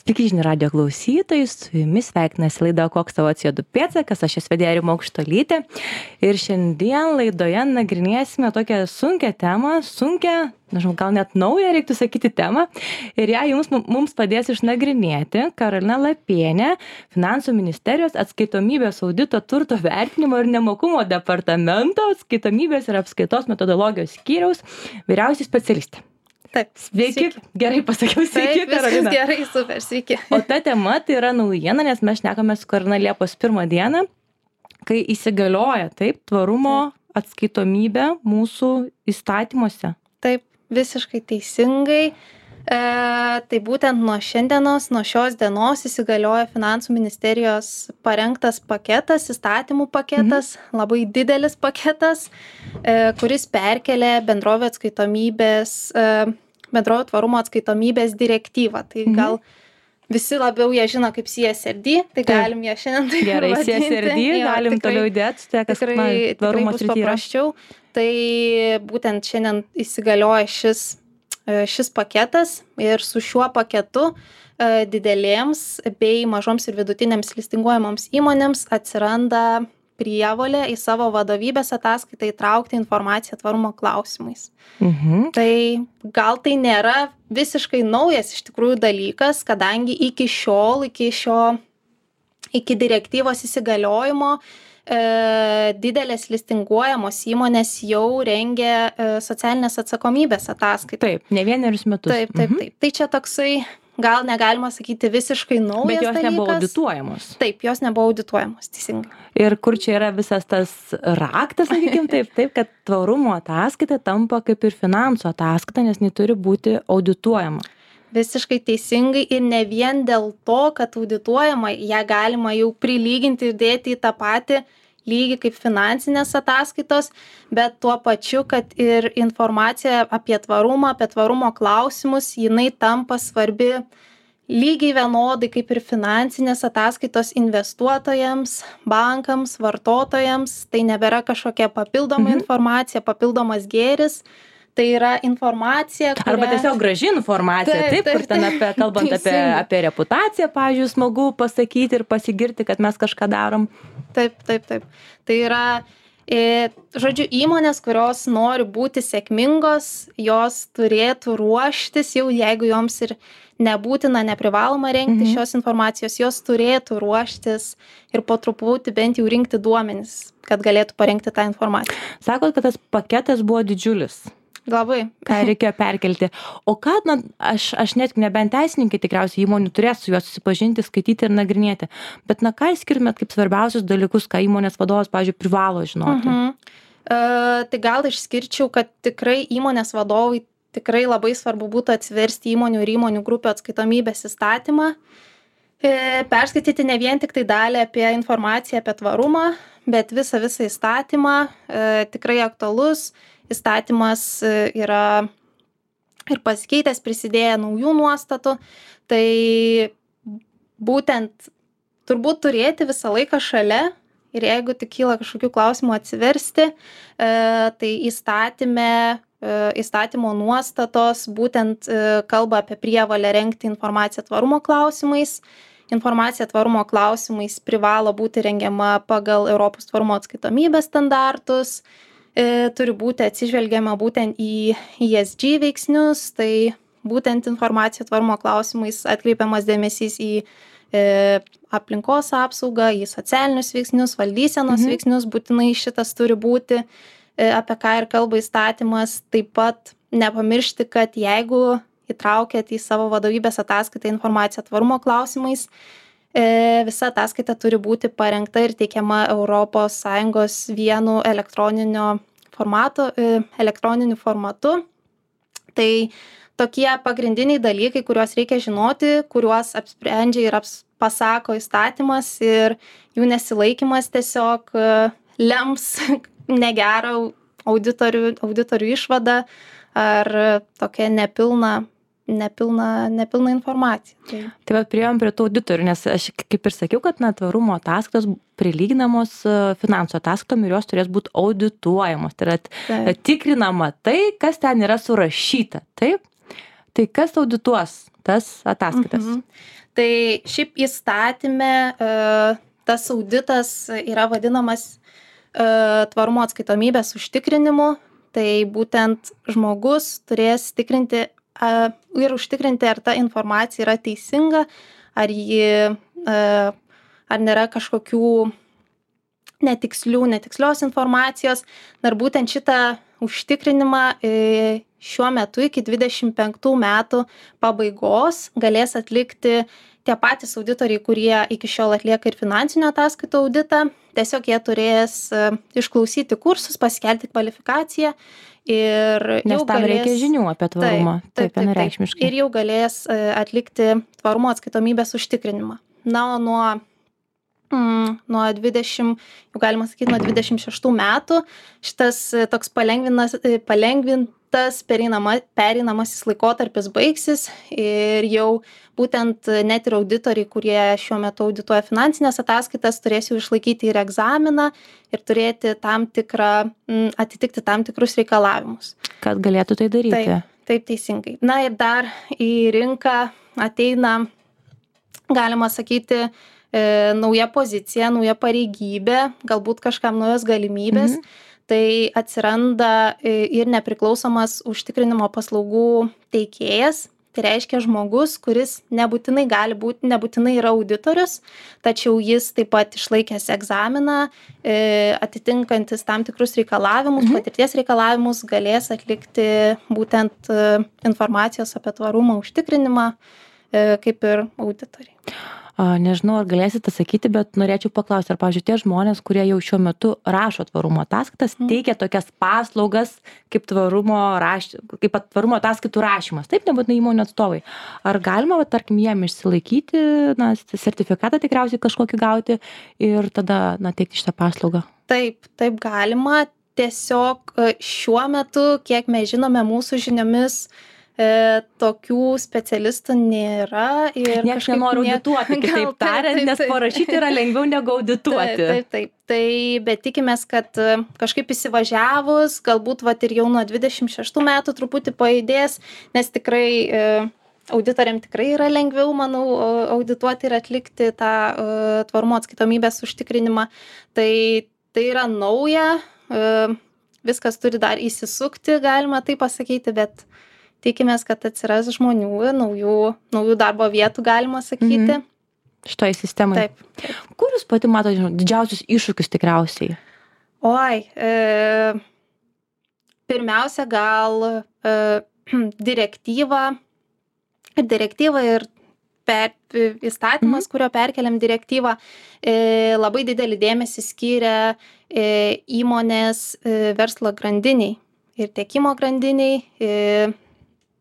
Sveiki žinių radijo klausytojai, su jumis sveikinasi laida Koks tavo CO2 pėdsakas, aš esu vedėja Rima Aukštuolytė ir šiandien laidoje nagrinėsime tokią sunkią temą, nežinau, gal net naują reiktų sakyti temą ir ją mums padės išnagrinėti Karolina Lapienė, Finansų ministerijos atskaitomybės audito turto vertinimo ir nemokumo departamento atskaitomybės ir apskaitos metodologijos skyriaus vyriausioji specialistė. Taip, sveiki. Gerai pasakiau, sveiki, Karolina. Gerai, super, sveiki. O ta tema tai yra naujiena, nes mes šnekame su Karolina Liepos 1 dieną, kai įsigalioja tvarumo atskaitomybė mūsų įstatymuose. Taip, visiškai teisingai. Tai būtent nuo šios dienos įsigalioja Finansų ministerijos parengtas paketas, įstatymų paketas, labai didelis paketas, kuris perkelia bendrovių tvarumo atskaitomybės direktyvą. Tai gal visi labiau ją žino kaip CSRD, tai galim ją šiandien taip gerai vadinti. CSRD, galim toliau įdėti, tikrai bus paprasčiau. Tai būtent šiandien įsigalioja šis paketas ir su šiuo paketu didelėms bei mažoms ir vidutinėms listinguojamoms įmonėms atsiranda prievolė į savo vadovybės ataskaitą įtraukti informaciją tvarumo klausimais. Tai gal tai nėra visiškai naujas iš tikrųjų dalykas, kadangi iki direktyvos įsigaliojimo didelės listinguojamos įmonės jau rengia socialinės atsakomybės ataskaitą. Taip, ne vienerius metus. Taip. Tai čia toksai, gal negalima sakyti visiškai naujas dalykas. Bet jos nebuvo audituojamos. Taip, jos nebuvo audituojamos, teisingai. Ir kur čia yra visas tas raktas, sakykim taip, kad tvarumo ataskaita tampa kaip ir finansų ataskaita, nes jinai turi būti audituojama. Visiškai teisingai ir ne vien dėl to, kad audituojama, ją galima jau prilyginti ir dėti į tą patį lygį kaip finansinės ataskaitos, bet tuo pačiu, kad ir informacija apie tvarumo klausimus, jinai tampa svarbi lygiai vienodai kaip ir finansinės ataskaitos investuotojams, bankams, vartotojams. Tai nebėra kažkokia papildoma informacija, papildomas gėris. Tai yra informacija, arba tiesiog graži informacija, kur ten kalbant apie reputaciją, pavyzdžiui, smagu pasakyti ir pasigirti, kad mes kažką darom. Taip. Tai yra, žodžiu, įmonės, kurios nori būti sėkmingos, jos turėtų ruoštis, jau jeigu joms ir nebūtina, neprivaloma rengti šios informacijos, jos turėtų ruoštis ir po truputį bent jau rinkti duomenis, kad galėtų parengti tą informaciją. Sakot, kad tas paketas buvo didžiulis. Labai. Ką reikėjo perkelti. O ką, aš net nebent teisininkai tikriausiai įmonių turės su juos susipažinti, skaityti ir nagrinėti. Bet ką išskirtumėt kaip svarbiausius dalykus, ką įmonės vadovas, pavyzdžiui, privalo žinoti? Tai gal išskirčiau, kad tikrai įmonės vadovai tikrai labai svarbu būtų atsiversti įmonių ir įmonių grupių atskaitomybės įstatymą. Perskaityti ne vien tik tai dalį apie informaciją apie tvarumą, bet visą įstatymą, tikrai aktualus. Įstatymas yra ir pasikeitęs, prisidėję naujų nuostatų, tai būtent turbūt turėti visą laiką šalia ir jeigu tik kyla kažkokių klausimų atsiversti, tai įstatymo nuostatos būtent kalba apie prievolę rengti informaciją tvarumo klausimais. Informacija tvarumo klausimais privalo būti rengiama pagal Europos tvarumo atskaitomybės standartus. Turi būti atsižvelgiama būtent į ESG veiksnius, tai būtent informacija tvarumo klausimais atkreipiamas dėmesys į aplinkos apsaugą, į socialinius veiksnius, valdysenos veiksnius, būtinai šitas turi būti, apie ką ir kalba įstatymas. Taip pat nepamiršti, kad jeigu įtraukėt į savo vadovybės ataskaitą informaciją tvarumo klausimais, visa ataskaita turi būti parengta ir teikiama ES vienu elektroniniu formatu. Tai tokie pagrindiniai dalykai, kuriuos reikia žinoti, kuriuos apsprendžia ir pasako įstatymas ir jų nesilaikymas tiesiog lems negerą auditorių išvadą ar tokia nepilna informacija. Tai va, priėjom prie tų auditorių, nes aš kaip ir sakiau, kad tvarumo ataskaitos prilyginamos finansų ataskaitom ir jos turės būti audituojamos. Tai yra tikrinama tai, kas ten yra surašyta. Taip? Tai kas audituos tas ataskaitas? Tai šiaip įstatyme tas auditas yra vadinamas tvarumo atskaitomybės užtikrinimu. Tai būtent žmogus turės tikrinti ir užtikrinti, ar ta informacija yra teisinga, ar nėra kažkokių netikslios informacijos. Ir būtent šitą užtikrinimą šiuo metu iki 25 metų pabaigos galės atlikti tie patys auditoriai, kurie iki šiol atlieka ir finansinio ataskaitų auditą. Tiesiog jie turės išklausyti kursus, pasikelti kvalifikaciją ir Nes jau tam galės... reikia žinių apie tvarumą. Taip, vienareikšmiškai. Ir jau galės atlikti tvarumo atskaitomybės užtikrinimą. Na, o nuo 20, jau galima sakyti, nuo 26 metų šitas toks palengvintas pereinamasis laikotarpis baigsis ir jau būtent net ir auditoriai, kurie šiuo metu audituoja finansinės ataskaitas, turės jau išlaikyti ir egzaminą ir turėti atitikti tam tikrus reikalavimus. Kad galėtų tai daryti. Taip teisingai. Na ir dar į rinką ateina, galima sakyti, nauja pozicija, nauja pareigybė, galbūt kažkam naujos galimybės. Tai atsiranda ir nepriklausomas užtikrinimo paslaugų teikėjas. Tai reiškia žmogus, kuris nebūtinai yra auditorius, tačiau jis taip pat išlaikęs egzaminą, atitinkantis tam tikrus reikalavimus, patirties reikalavimus, galės atlikti būtent informacijos apie tvarumą užtikrinimą, kaip ir auditoriai. Nežinau, ar galėsite sakyti, bet norėčiau paklausti, ar, pavyzdžiui, tie žmonės, kurie jau šiuo metu rašo tvarumo ataskaitas, teikia tokias paslaugas kaip tvarumo ataskaitų rašymas. Taip, nebūtinai įmonių atstovai. Ar galima, tarkim, jiem išsilaikyti, sertifikatą tikriausiai kažkokį gauti ir tada, teikti šitą paslaugą? Taip galima. Tiesiog šiuo metu, kiek mes žinome, mūsų žiniomis, tokių specialistų nėra. Niekas nenori audituoti, kitaip tariant, nes parašyti yra lengviau negu audituoti. Taip. Tai, bet tikimės, kad kažkaip įsivažiavus, galbūt ir jau nuo 26 metų truputį pajudės, nes tikrai auditoriam tikrai yra lengviau, manau, audituoti ir atlikti tą tvarumo atskaitomybės užtikrinimą. Tai yra nauja, viskas turi dar įsisukti, galima tai pasakyti, bet tikimės, kad atsiras žmonių, naujų darbo vietų, galima sakyti. Šitoj sistemai. Taip. Kur jūs pati matote didžiausius iššūkius tikriausiai? Pirmiausia, gal direktyva ir įstatymas, kurio perkeliam direktyvą, labai didelį dėmesį skiria įmonės verslo grandiniai ir tiekimo grandiniai.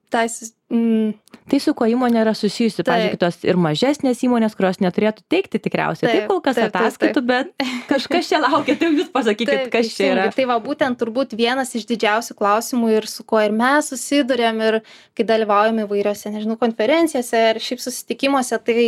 Tai su kuo įmonė yra susijusi, pavyzdžiui, kitos ir mažesnės įmonės, kurios neturėtų teikti tikriausiai. Taip kol kas ataskaitų, bet kažkas čia laukia, tai jūs pasakykit, kas čia yra. Tai būtent turbūt vienas iš didžiausių klausimų ir su kuo ir mes susidurėm ir kai dalyvaujam įvairiose, konferencijose ir šiaip susitikimuose, tai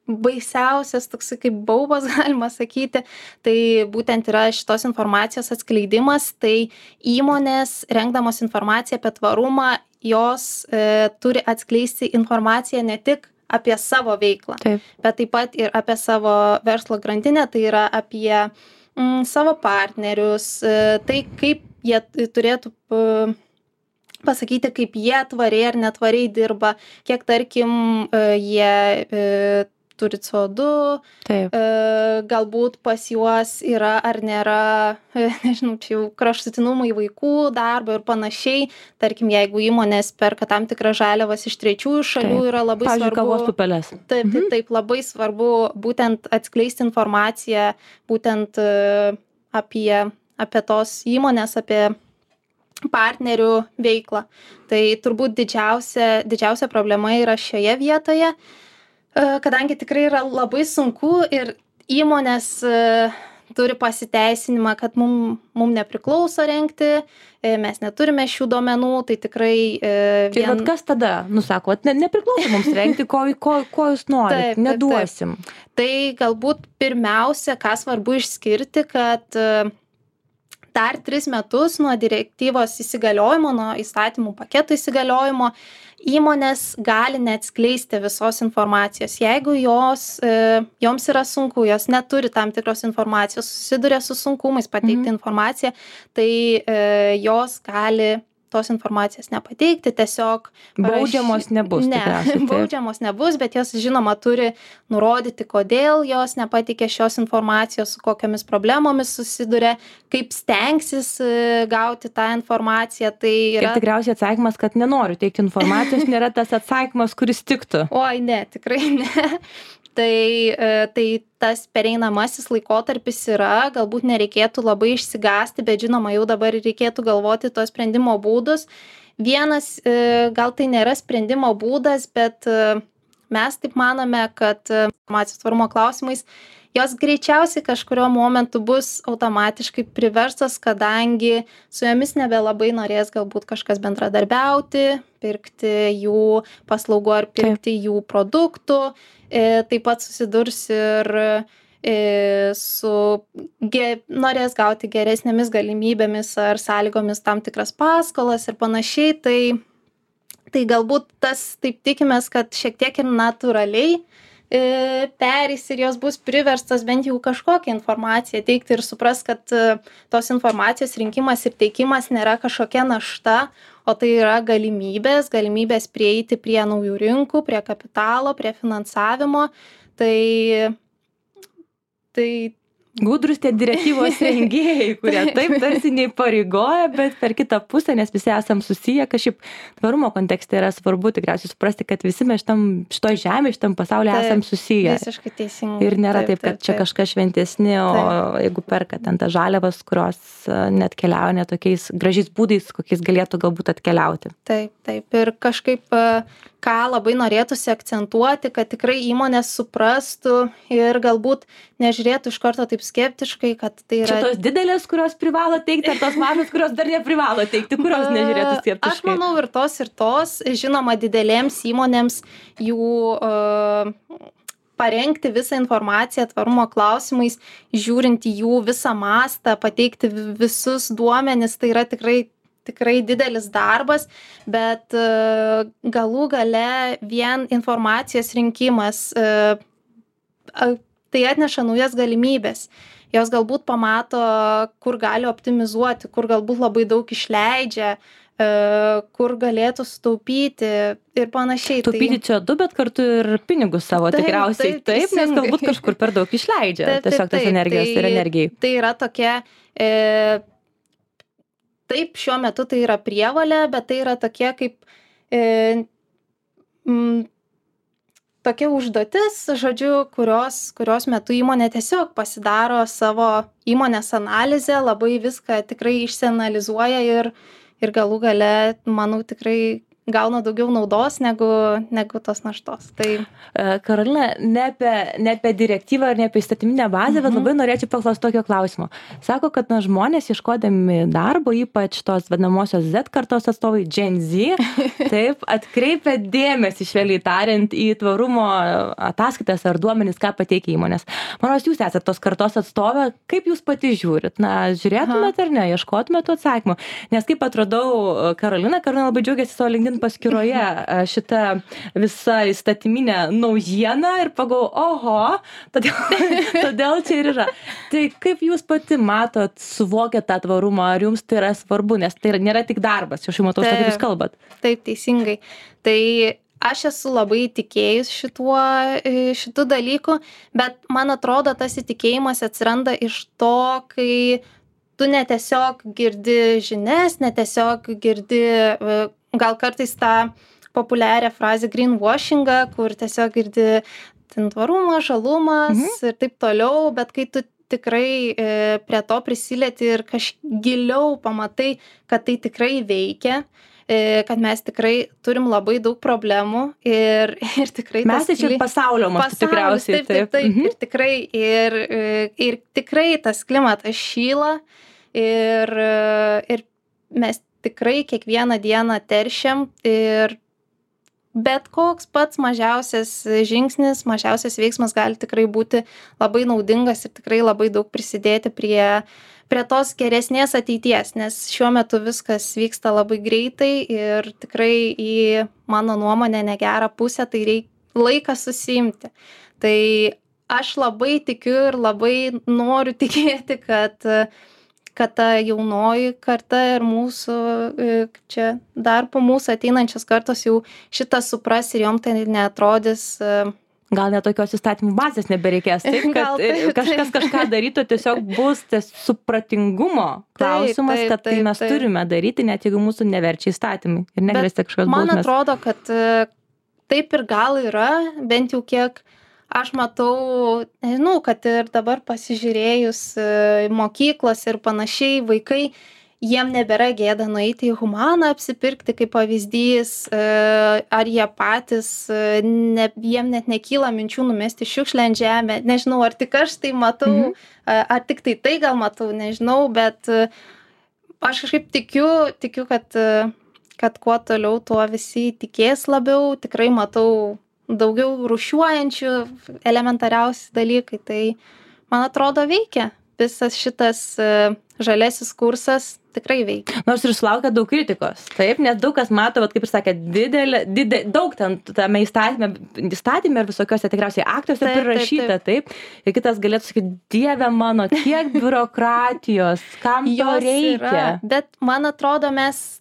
baisiausias toks kaip baubas, galima sakyti, tai būtent yra šitos informacijos atskleidimas. Tai įmonės, rengdamos informaciją apie tvarumą, jos turi atskleisti informaciją ne tik apie savo veiklą, bet taip pat ir apie savo verslo grandinę, tai yra apie savo partnerius, tai kaip jie turėtų pasakyti, kaip jie tvariai ar netvariai dirba, kiek, tarkim, jie turi CO2, galbūt pas juos yra ar nėra, čia jau kraštutinumai vaikų darbo ir panašiai. Tarkim, jeigu įmonės perka tam tikrą žaliavas iš trečiųjų šalių, yra labai svarbu. Pavyzdžiui, kavos pupelės. Taip, labai svarbu būtent atskleisti informaciją būtent apie tos įmonės, apie partnerių veiklą. Tai turbūt didžiausia problema yra šioje vietoje, kadangi tikrai yra labai sunku ir įmonės turi pasiteisinimą, kad mum nepriklauso rengti, mes neturime šių duomenų, tai tikrai... Ir kas tada? Sako, nepriklauso mums rengti, ko jūs norit, neduosim. Tai galbūt pirmiausia, ką svarbu išskirti, kad dar 3 metus nuo direktyvos įsigaliojimo, nuo įstatymų paketo įsigaliojimo, įmonės gali neatskleisti visos informacijos. Jeigu joms yra sunku, jos neturi tam tikros informacijos, susiduria su sunkumais pateikti informaciją, tai jos gali tos informacijos nepateikti, tiesiog baudžiamos nebus. Ne, baudžiamos nebus, bet jos žinoma turi nurodyti, kodėl jos nepateikė šios informacijos, su kokiamis problemomis susiduria, kaip stengsis gauti tą informaciją. Tai yra... Ir tikriausiai atsakymas, kad nenoriu teikti informacijos, nėra tas atsakymas, kuris tiktų. Oi, ne, tikrai ne. Tai tas pereinamasis laikotarpis yra, galbūt nereikėtų labai išsigąsti, bet žinoma, jau dabar reikėtų galvoti tos sprendimo būdus. Vienas, gal tai nėra sprendimo būdas, bet mes taip manome, kad informacijos tvarumo klausimais jos greičiausiai kažkurio momentu bus automatiškai priverstas, kadangi su jomis nebelabai norės galbūt kažkas bendradarbiauti, pirkti jų paslaugų ar pirkti jų produktų. Taip pat susidurs ir norės gauti geresnėmis galimybėmis ar sąlygomis tam tikras paskolas ir panašiai. Tai galbūt taip tikimės, kad šiek tiek ir natūraliai perės ir jos bus priverstas bent jau kažkokią informaciją teikti ir supras, kad tos informacijos rinkimas ir teikimas nėra kažkokia našta, o tai yra galimybės prieiti prie naujų rinkų, prie kapitalo, prie finansavimo. Tai gudrus tie direktyvos rengėjai, kurie taip tarsi neįpareigoja, bet per kitą pusę, nes visi esam susiję, kažkaip tvarumo kontekste yra svarbu tikriausiai suprasti, kad visi mes šitoj žemėje, šitam pasaulyje esam susiję. Visiškai teisingai. Ir nėra taip, kad čia kažkas šventesni, o jeigu perka ten tas žaliavas, kurios net keliauja ne tokiais gražiais būdais, kokiais galėtų galbūt atkeliauti. Taip. Ir kažkaip, ką labai norėtųsi akcentuoti, kad tikrai įmonės suprastų ir galbūt nežiūrėtų iš karto taip skeptiškai, kad tai yra... Čia tos didelės, kurios privalo teikti, ar tos mažos, kurios dar neprivalo teikti, kurios nežiūrėtų skeptiškai? Aš manau ir tos. Žinoma, didelėms įmonėms jų parengti visą informaciją tvarumo klausimais, žiūrint į jų visą mastą, pateikti visus duomenis, tai yra tikrai didelis darbas, bet galų gale vien informacijos rinkimas tai atneša naujas galimybės. Jos galbūt pamato, kur gali optimizuoti, kur galbūt labai daug išleidžia, kur galėtų sutaupyti ir panašiai. Taupyti CO2, bet kartu ir pinigus savo tikriausiai. Taip, nes galbūt kažkur per daug išleidžia tiesiog tos energijos ir energijai. Tai yra tokia... Taip, šiuo metu tai yra prievolė, bet tai yra tokia kaip tokia užduotis, žodžiu, kurios metu įmonė tiesiog pasidaro savo įmonės analizę, labai viską tikrai išsianalizuoja ir galų gale, manau, tikrai gauna daugiau naudos negu tos naštos. Karolina, ne apie direktyvą ir ne apie įstatyminę bazę, bet labai norėčiau paklausti tokio klausimo. Sako, kad žmonės ieškodami darbo, ypač tos vadinamosios Z kartos atstovai, Gen Z, taip, atkreipia dėmesį, švelniai tariant, į tvarumo ataskaitas ar duomenis, ką pateikia įmonės. Manau, jūs esate tos kartos atstovė, kaip jūs pati žiūrit? Žiūrėtumėt ar ne, ieškotumėt tų atsakymų? Nes kaip atradau Karolina labai džiaugiasi savo LinkedIn paskyroje šitą visą įstatyminę naujieną ir pagalvojau, oho, todėl čia ir yra. Tai kaip jūs pati matot, suvokiat tą tvarumą, ar jums tai yra svarbu, nes tai nėra tik darbas, aš jau matau, kaip jūs kalbat. Taip, teisingai. Tai aš esu labai tikėjus šitų dalykų, bet man atrodo, tas įtikėjimas atsiranda iš to, kai tu netiesiog girdi žinias, netiesiog girdi gal kartais tą populiarią frazę greenwashingą, kur tiesiog girdi tvarumą, žalumas ir taip toliau, bet kai tu tikrai prie to prisilieti ir giliau pamatai, kad tai tikrai veikia, kad mes tikrai turim labai daug problemų ir tikrai... Mes tai čia pasaulio mastu tikriausiai. Taip. Ir tikrai tas klimatas šyla ir mes tikrai kiekvieną dieną teršiam ir bet koks pats mažiausias žingsnis, mažiausias veiksmas gali tikrai būti labai naudingas ir tikrai labai daug prisidėti prie prie tos geresnės ateities, nes šiuo metu viskas vyksta labai greitai ir tikrai į mano nuomonę negerą pusę, tai laikas susiimti. Tai aš labai tikiu ir labai noriu tikėti, kad ta jaunoji karta ir mūsų, čia dar po mūsų ateinančios kartos jau šitą supras ir jom tai neatrodys. Gal net tokios įstatymų bazės nebereikės, taip, kad kažkas kažką darytų, tiesiog bus tas supratingumo klausimas, kad tai mes turime daryti, net jeigu mūsų neverčia įstatymai ir negrėsia kažkokios bausmės. Man atrodo, kad taip ir gal yra, bent jau kiek aš matau, nežinau, kad ir dabar pasižiūrėjus mokyklos ir panašiai, vaikai, jiem nebėra gėda nueiti į Humaną apsipirkti kaip pavyzdys, ar jie patys, jiem net nekyla minčių numesti šiukšlę ant žemę, nežinau, ar tik aš tai matau, ar tik tai gal matau, nežinau, bet aš kažkaip tikiu, kad kuo toliau, tuo visi tikės labiau, tikrai matau daugiau rūšiuojančių elementariausi dalykai, tai man atrodo veikia. Visas šitas žalesis kursas tikrai veikia. Nors ir sulaukia daug kritikos, taip, nes daug kas mato, kaip ir sakė, daug ten tame įstatyme ir visokiuose tikriausiai aktuose prirašyta, taip. Ir kitas galėtų sakyti, Dieve mano, kiek biurokratijos, kam to reikia. Yra, bet man atrodo, mes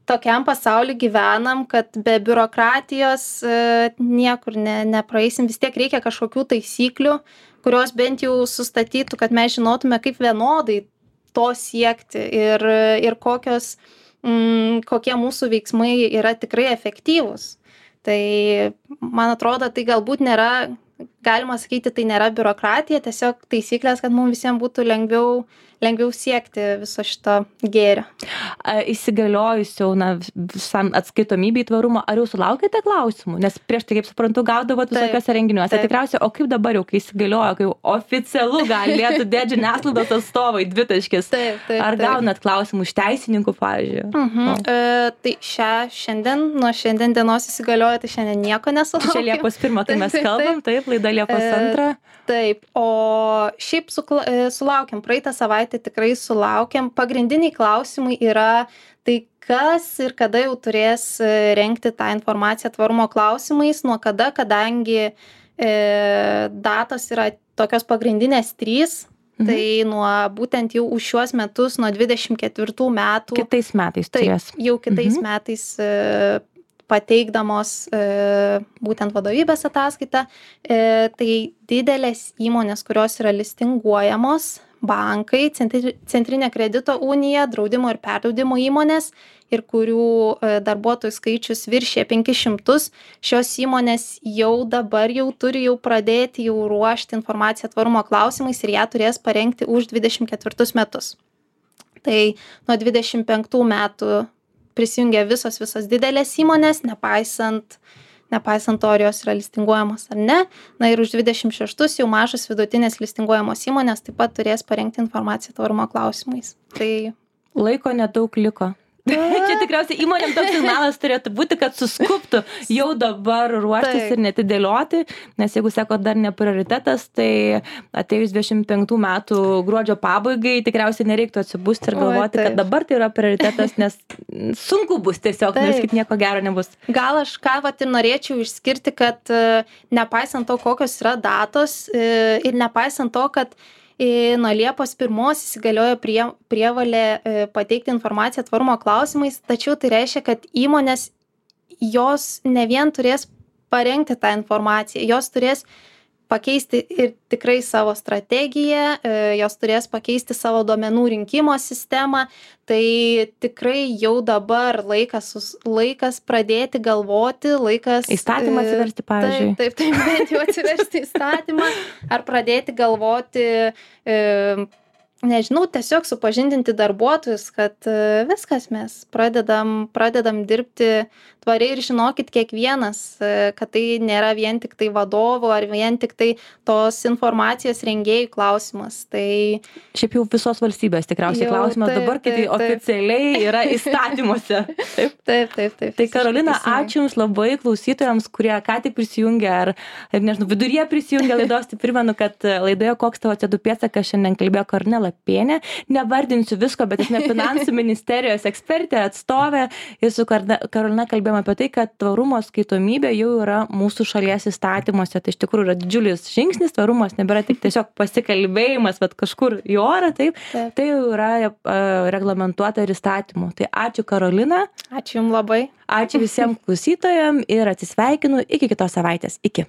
tokiam pasauliu gyvenam, kad be biurokratijos niekur nepraeisim, vis tiek reikia kažkokių taisyklių, kurios bent jau sustatytų, kad mes žinotume, kaip vienodai to siekti ir kokie mūsų veiksmai yra tikrai efektyvūs. Tai man atrodo, tai galbūt nėra, galima sakyti, tai nėra biurokratija, tiesiog taisyklės, kad mums visiems būtų lengviau siekti viso šito gėrio. Įsigaliojus jau visam atskaitomybei tvarumo, ar jau sulaukėte klausimų? Nes prieš tai, kaip suprantu, gaudavot visokiuose renginiuose. Tikriausiai, o kaip dabar jau, kai įsigaliojo, kai oficialu galėtų dėti žiniasklaidos atstovai dvitaškis? Ar gaunat klausimų iš teisininkų, pavyzdžiui? Tai nuo šiandien dienos įsigaliojo, tai šiandien nieko nesulaukėm. Čia Liepos 1, kai mes kalbam, taip, laida Liepos 2. Taip, o šiaip sulaukėm, praeitą savaitę tikrai sulaukėm. Pagrindiniai klausimai yra, tai kas ir kada jau turės rengti tą informaciją tvarumo klausimais, nuo kada, kadangi datos yra tokios pagrindinės 3, tai nuo būtent jau už šiuos metus, nuo 24 metų. Kitais metais turės. Taip, jau kitais metais pateikdamos būtent vadovybės ataskaitą, tai didelės įmonės, kurios yra listinguojamos, bankai, Centrinė kredito unija, draudimo ir perdraudimo įmonės ir kurių darbuotojų skaičius viršė 500, šios įmonės jau dabar turi pradėti ruošti informaciją tvarumo klausimais ir ją turės parengti už 24 metus. Tai nuo 25 metų prisijungia visos didelės įmonės, nepaisant to, ar jos yra listinguojamos ar ne. Na ir už 26 jau mažos vidutinės listinguojamos įmonės taip pat turės parengti informaciją tvarumo klausimais. Tai laiko nedaug liko. Čia tikriausiai įmonėm toks signalas turėtų būti, kad suskubtų jau dabar ruoštis ir netidėlioti, nes jeigu sako dar ne prioritetas, tai atėjus 25 metų gruodžio pabaigai tikriausiai nereiktų atsibusti ir galvoti, kad dabar tai yra prioritetas, nes sunku bus tiesiog, nes kaip nieko gero nebus. Gal aš ką ir norėčiau išskirti, kad nepaisant to, kokios yra datos ir nepaisant to, kad nuo Liepos 1 įsigaliojo prievolė pateikti informaciją tvarumo klausimais, tačiau tai reiškia, kad įmonės jos ne vien turės parengti tą informaciją, jos turės pakeisti ir tikrai savo strategiją, jos turės pakeisti savo duomenų rinkimo sistemą, tai tikrai jau dabar laikas pradėti galvoti, įstatymą atsiversti, pavyzdžiui. Taip, bent jau atsiversti įstatymą, ar pradėti galvoti, nežinau, tiesiog supažindinti darbuotojus, kad viskas mes pradedam dirbti tvariai ir žinokit kiekvienas, kad tai nėra vien tik tai vadovų ar vien tik tai tos informacijos rengėjų klausimas. Tai šiaip jau visos valstybės tikriausiai klausimas dabar, kai tai oficialiai yra įstatymuose. Taip. Tai Karolina, ačiū Jums labai klausytojams, kurie ką tik prisijungė ar nežinau, viduryje prisijungė laidos, tai primenu, kad laidoje Koks tavo CO2 pėdsakas šiandien kalbėjo Kornela Lapienė. Nevardinsiu visko, bet esame finansų ministerijos ekspertė, atstovė. Ir su Karolina kalbėjome apie tai, kad tvarumo skaitomybė jau yra mūsų šalies įstatymuose. Tai iš tikrųjų yra didžiulis žingsnis, tvarumas nebėra tik tiesiog pasikalbėjimas, bet kažkur į orą, taip. Tai jau yra reglamentuota ir įstatymų. Tai ačiū Karolina. Ačiū Jums labai. Ačiū visiems klausytojams ir atsisveikinu iki kitos savaitės. Iki.